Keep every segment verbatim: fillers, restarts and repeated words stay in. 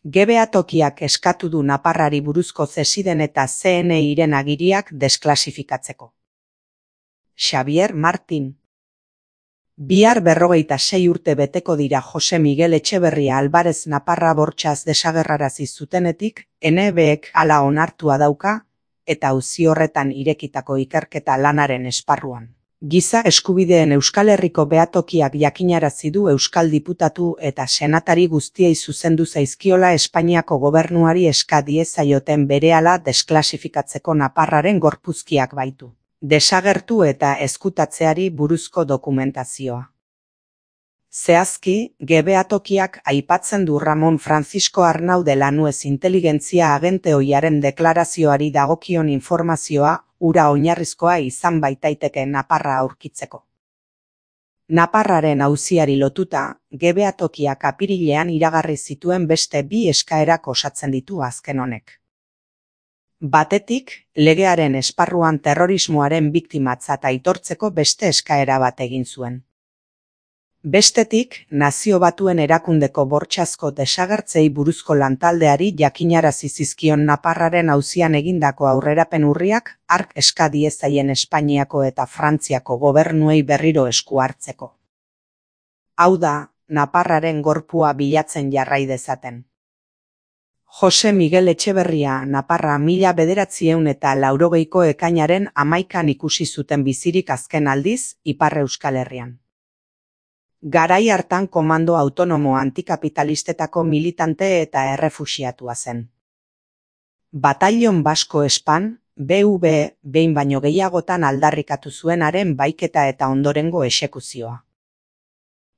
Gebea tokiak eskatu du Naparrari buruzko zesiden eta C N I-ren agiriak desklasifikatzeko. Xavier Martin. Bihar berrogeita sei urte beteko dira Jose Miguel Etxeberria Alvarez Naparra bortxaz desagerrarazi zutenetik, N B-ek hala onartua dauka, eta auzi horretan irekitako ikerketa lanaren esparruan. Giza eskubideen Euskal Herriko behatokiak jakinarazi du Euskal Diputatu eta senatari guztiei zuzendu zaizkiola Espainiako gobernuari eska diezaioten berehala desklasifikatzeko Naparraren gorpuzkiak baitu. Desagertu eta ezkutatzeari buruzko dokumentazioa. Zehazki, gebehatokiak aipatzen du Ramon Francisco Arnau de Lanuez inteligentzia agente ohiaren deklarazioari dagokion informazioa, ura oinarrizkoa izan baitaiteke Naparra aurkitzeko. Naparraren auziari lotuta, gebehatokiak apirilean iragarri zituen beste bi eskaerak osatzen ditu azken honek. Batetik, legearen esparruan terrorismoaren biktimatzat aitortzeko beste eskaera bat egin zuen. Bestetik, Nazio Batuen erakundeko bortxazko desagertzei buruzko lantaldeari jakinarazi zizkion Naparraren auzian egindako aurrerapen urriak hark eska diezaien Espainiako eta Frantziako gobernuei berriro esku hartzeko. Hau da, Naparraren gorpua bilatzen jarrai dezaten. Jose Miguel Etxeberria Naparra mila bederatziehun eta laurogeiko ekainaren hamaikan ikusi zuten bizirik azken aldiz, Ipar Euskal Herrian. Garai hartan komando autonomo antikapitalistetako militante eta errefuxiatua zen. Batallon Basko Espan, B V, behin baino gehiagotan aldarrikatu zuenaren baiketa eta ondorengo exekuzioa.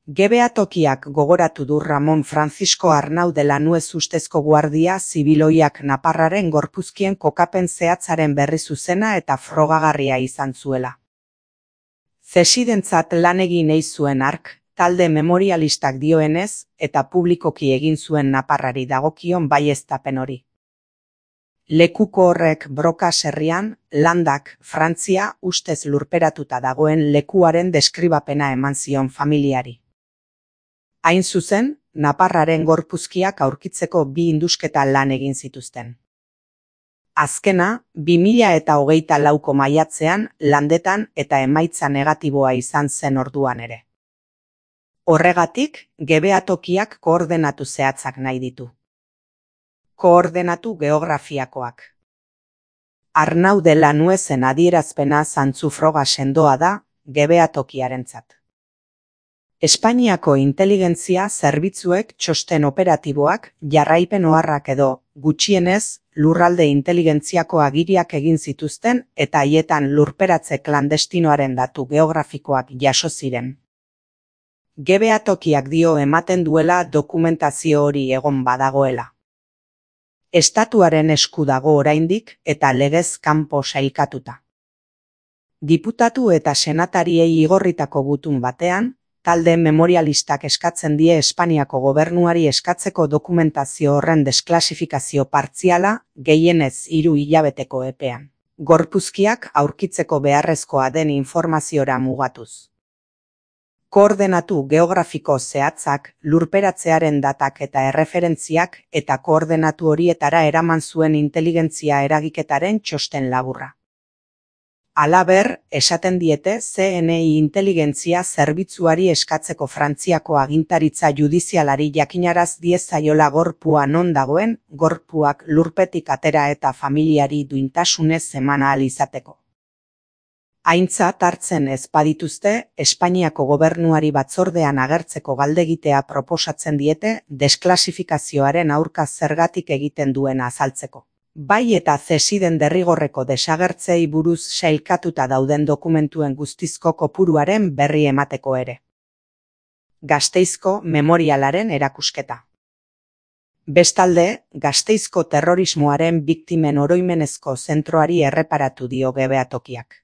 Gebehatokiak gogoratu du Ramon Francisco Arnau de Lanuez ustezko guardia zibiloiak Naparraren gorpuzkien kokapen zehatzaren berri zuzena eta frogagarria izan zuela. Zesidentzat lan egin ei zuen hark, talde memorialistak dioenez, eta publikoki egin zuen Naparrari dagokion baieztapen hori. Lekuko horrek Brokas herrian, Landak, Frantzia, ustez lurperatuta dagoen lekuaren deskribapena eman zion familiari. Hain zuzen, Naparraren gorpuzkiak aurkitzeko bi indusketa lan egin zituzten. Azkena, bi mila eta hogeita lauko maiatzean, Landetan eta emaitza negatiboa izan zen orduan ere. Horregatik, gebehatokiak koordenatu zehatzak nahi ditu. Koordenatu geografiakoak. Arnau de Lanuezen adierazpena zantzu froga sendoa da, gebehatokiarentzat. Espainiako inteligentzia zerbitzuek txosten operatiboak, jarraipen oharrak edo, gutxienez, lurralde inteligentziako agiriak egin zituzten eta haietan lurperatze klandestinoaren datu geografikoak jaso ziren. Gebehatokiak dio ematen duela dokumentazio hori egon badagoela. Estatuaren esku dago oraindik eta legez kanpo sailkatuta. Diputatu eta senatariei igorritako gutun batean, talde memorialistak eskatzen die Espainiako gobernuari eskatzeko dokumentazio horren desklasifikazio partziala, gehienez hiru hilabeteko epean. Gorpuzkiak aurkitzeko beharrezkoa den informaziora mugatuz. Koordenatu geografiko zehatzak, lurperatzearen datak eta erreferentziak eta koordenatu horietara eraman zuen inteligentzia eragiketaren txosten laburra. Halaber, esaten diete C N I inteligentzia zerbitzuari eskatzeko Frantziako agintaritza judizialari jakinaraz diezaiola gorpua non dagoen, gorpuak lurpetik atera eta familiari duintasunez eman ahal izateko. Aintzat hartzen ez badituzte, Espainiako gobernuari batzordean agertzeko galdegitea proposatzen diete desklasifizazioaren aurka zergatik egiten duena azaltzeko. Bai eta zesiden derrigorreko desagertzei buruz sailkatuta dauden dokumentuen guztizko kopuruaren berri emateko ere. Gasteizko memorialaren erakusketa. Bestalde, Gasteizko terrorismoaren biktimen oroimenezko zentroari erreparatu dio gebehatokiak.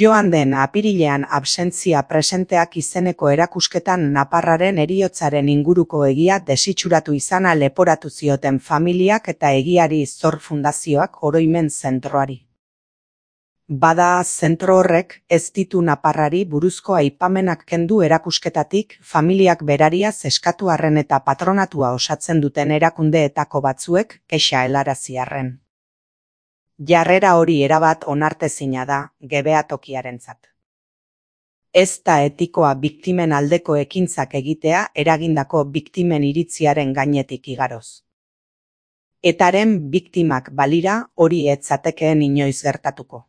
Joan den apirilean absentzia presenteak izeneko erakusketan Naparraren heriotzaren inguruko egia desitxuratu izana leporatu zioten familiak eta egiari zor fundazioak oroimen zentroari. Bada, zentro horrek ez ditu naparrari buruzko aipamenak kendu erakusketatik familiak berariaz eskatu arren eta patronatua osatzen duten erakundeetako batzuek kexa helarazi arren. Jarrera hori erabat onartezina da gebeatokiarentzat. Ez da etikoa biktimen aldeko ekintzak egitea eragindako biktimen iritziaren gainetik igaroz. Etaren biktimak balira hori ez zatekeen inoiz gertatuko.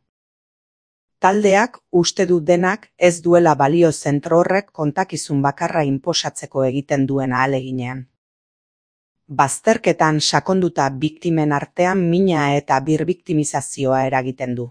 Taldeak uste du denak ez duela balio zentro horrek kontakizun bakarra inposatzeko egiten duen ahaleginean. Bazterketan sakonduta biktimen artean mina eta birbiktimizazioa eragiten du.